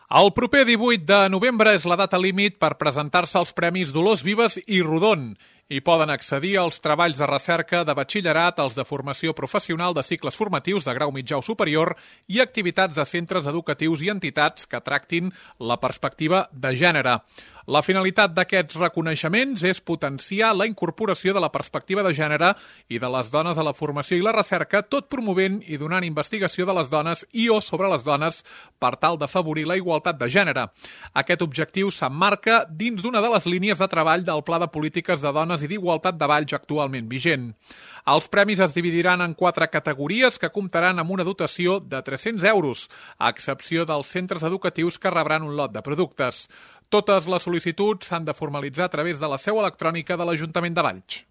El proper 18 de novembre és la data límit per presentar-se als Premis Dolors Vives i Rodon. Hi poden accedir als treballs de recerca de batxillerat, els de formació professional de cicles formatius de grau mitjà o superior i activitats de centres educatius i entitats que tractin la perspectiva de gènere. La finalitat d'aquests reconeixements és potenciar la incorporació de la perspectiva de gènere i de les dones a la formació i la recerca, tot promovent i donant investigació de les dones i o sobre les dones per tal d'afavorir la igualtat de gènere. Aquest objectiu s'emmarca dins d'una de les línies de treball del Pla de Polítiques de Dones i d'Igualtat de Valls actualment vigent. Els premis es dividiran en 4 categories que comptaran amb una dotació de 300 euros, a excepció dels centres educatius que rebran un lot de productes. Totes les sol·licituds s'han de formalitzar a través de la seu electrònica de l'Ajuntament de Valls.